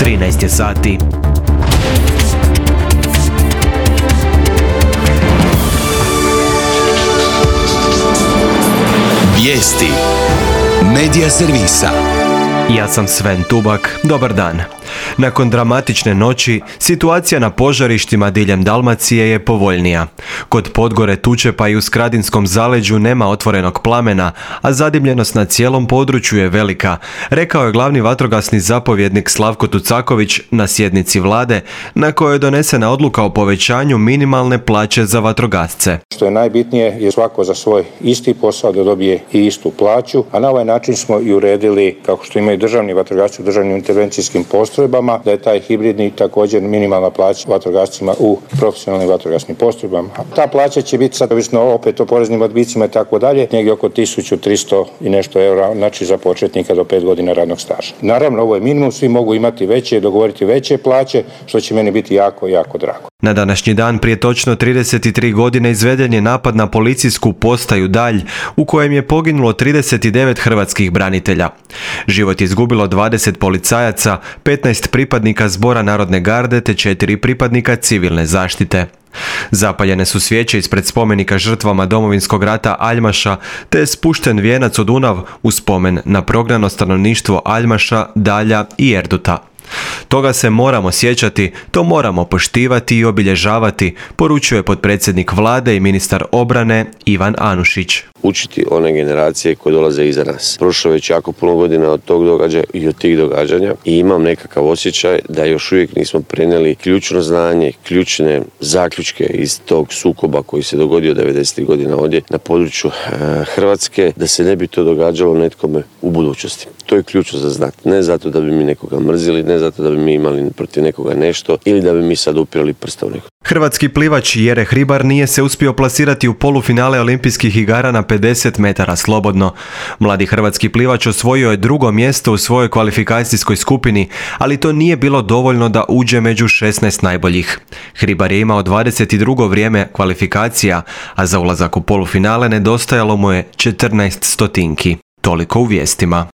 13 je sati. Vijesti Medija servisa. Ja sam Sven Tubak, dobar dan. Nakon dramatične noći, situacija na požarištima diljem Dalmacije je povoljnija. Kod Podgore, Tučepa i u Skradinskom zaleđu nema otvorenog plamena, a zadimljenost na cijelom području je velika, rekao je glavni vatrogasni zapovjednik Slavko Tucaković na sjednici vlade, na kojoj je donesena odluka o povećanju minimalne plaće za vatrogasce. Što je najbitnije je svako za svoj isti posao da dobije i istu plaću, a na ovaj način smo i uredili, kako što imaju državni vatrogasci u državnim intervencijskim postrojbama, da je taj hibridni također minimalna plaća vatrogascima u profesionalnim vatrogasnim postrojbama. Ta plaća će biti sad ovisno opet o poreznim odbicima i tako dalje, negdje oko 1300 i nešto eura, znači za početnika do 5 godina radnog staža. Naravno, ovo je minimum, svi mogu imati veće, dogovoriti veće plaće, što će meni biti jako, jako drago. Na današnji dan prije točno 33 godine izveden je napad na policijsku postaju Dalj, u kojem je poginulo 39 hrvatskih branitelja. Život je izgubilo 20 policajaca, 15 pripadnika Zbora narodne garde te 4 pripadnika civilne zaštite. Zapaljene su svijeće ispred spomenika žrtvama Domovinskog rata Aljmaša, te je spušten vijenac u Dunav u spomen na prognano stanovništvo Aljmaša, Dalja i Erduta. Toga se moramo sjećati, to moramo poštivati i obilježavati, poručuje potpredsjednik vlade i ministar obrane Ivan Anušić. Učiti one generacije koje dolaze iza nas. Prošlo je već jako puno godina od tog događaja i od tih događanja i imam nekakav osjećaj da još uvijek nismo prenijeli ključno znanje, ključne zaključke iz tog sukoba koji se dogodio 90. godina ovdje na području Hrvatske, da se ne bi to događalo netkome u budućnosti. To je ključno za znati. Ne zato da bi mi nekoga mrzili, ne zato da bi mi imali protiv nekoga nešto ili da bi mi sad upirali prsta u nekoga. Hrvatski plivač Jere Hribar nije se uspio plasirati u polufinale olimpijskih igara na 50 metara slobodno. Mladi hrvatski plivač osvojio je drugo mjesto u svojoj kvalifikacijskoj skupini, ali to nije bilo dovoljno da uđe među 16 najboljih. Hribar je imao 22. vrijeme kvalifikacija, a za ulazak u polufinale nedostajalo mu je 14 stotinki. Toliko u vijestima.